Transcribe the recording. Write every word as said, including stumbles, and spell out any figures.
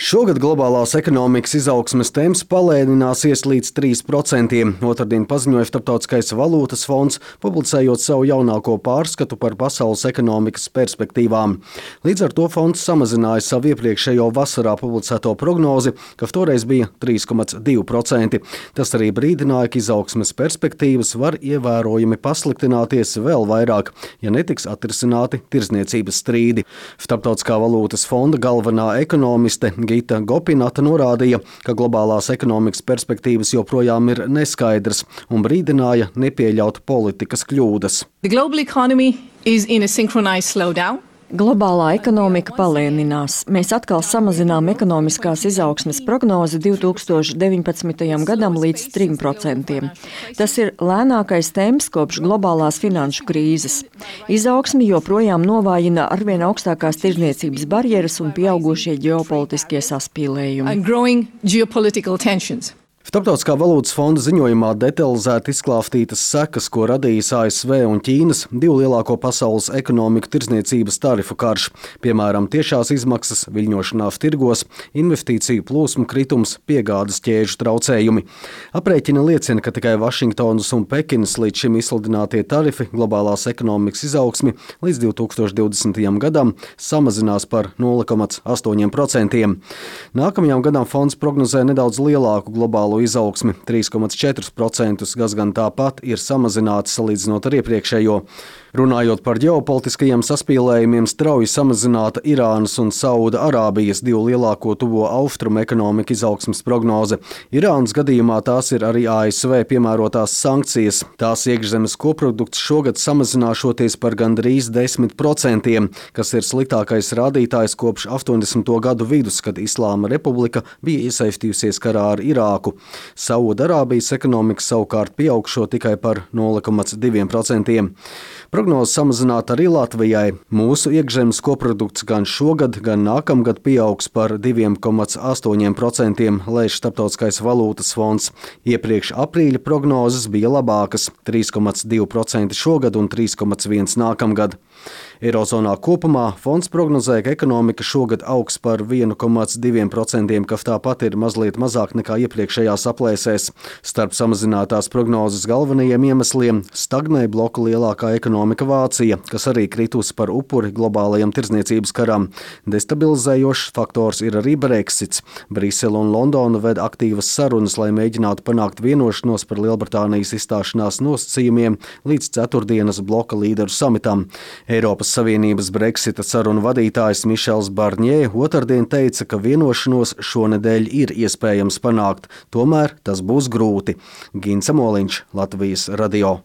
Šogad globālās ekonomikas izaugsmes temps palēnināsies līdz trīs procentiem. Otrdien paziņoja Starptautiskais valūtas fonds, publicējot savu jaunāko pārskatu par pasaules ekonomikas perspektīvām. Līdz ar to fonds samazināja savu iepriekšējo vasarā publicēto prognozi, ka toreiz bija trīs komats divi procenti. Tas arī brīdināja, ka izaugsmes perspektīvas var ievērojami pasliktināties vēl vairāk, ja netiks atrisināti tirdzniecības strīdi. Starptautiskā valūtas fonda galvenā ekonomiste Gita Gopinata norādīja, ka globālās ekonomikas perspektīvas joprojām ir neskaidras un brīdināja nepieļaut politikas kļūdas. The global economy is in a synchronized slowdown. Globālā ekonomika palēninās. Mēs atkal samazinām ekonomiskās izaugsmes prognozi divi tūkstoši deviņpadsmitajam gadam līdz trim procentiem. Tas ir lēnākais temps kopš globālās finanšu krīzes. Izaugsmi joprojām novājina arvien augstākās tirdzniecības barjeras un pieaugušie ģeopolitiskie saspīlējumi. And growing geopolitical tensions. Starptautiskā valūtas fonda ziņojumā detalizēti izklāstītas sekas, ko radījis A S V un Ķīnas divu lielāko pasaules ekonomiku tirdzniecības tarifu karš, piemēram, tiešās izmaksas, viļņošanās tirgos, investīciju plūsmu kritums, piegādes ķēžu traucējumi. Aprēķini liecina, ka tikai Vašingtonas un Pekinas līdz šim izsludinātie tarifi globālās ekonomikas izaugsmi līdz divi tūkstoši divdesmitajam gadam samazinās par nulle komats astoņi procenti. Nākamajam gadam fonds prognozē nedaudz lielāku globālo izaugsmi trīs komats četri procenti, kas gan tāpat ir samazināts salīdzinot ar iepriekšējo. Runājot par ģeopolitiskajiem saspīlējumiem, strauji samazināta Irānas un Sauda Arābijas divu lielāko tuvo austrumu ekonomiku izaugsmes prognoze. Irānas gadījumā tās ir arī A S V piemērotās sankcijas. Tās iekšzemes koprodukts šogad samazināšoties par gandrīz desmit procentiem, kas ir sliktākais rādītājs kopš astoņdesmito gadu vidus, kad Islāma republika bija iesaistījusies karā ar Irāku. Sauda Arābijas ekonomika savukārt pieaugšo tikai par nulle komats divi procenti. Prognoze samazināt arī Latvijai. Mūsu iekšzemes koprodukts gan šogad, gan nākamgad pieaugs par divi komats astoņi procenti, lēš Starptautiskais valūtas fonds. Iepriekš aprīļa prognozes bija labākas – trīs komats divi procenti šogad un trīs komats viens nākamgad. Eirozonā kopumā fonds prognozē, ka ekonomika šogad augs par vienu komats divi procenti, kas tāpat ir mazliet mazāk nekā iepriekšējās aplēsēs. Starp samazinātās prognozes galvenajiem iemesliem stagnē bloka lielākā ekonomika Vācija, kas arī kritusi par upuri globālajam tirdzniecības karam. Destabilizējošs faktors ir arī Brexits. Brisele un Londona ved aktīvas sarunas, lai mēģinātu panākt vienošanos par Lielbritānijas izstāšanās nosacījumiem līdz ceturtdienas bloka līderu samitam. Eiropas Savienības Brexita sarunu vadītājs Mišels Barņē otrdien teica, ka vienošanos šonedēļ ir iespējams panākt, tomēr tas būs grūti. Gints Moliņš, Latvijas radio.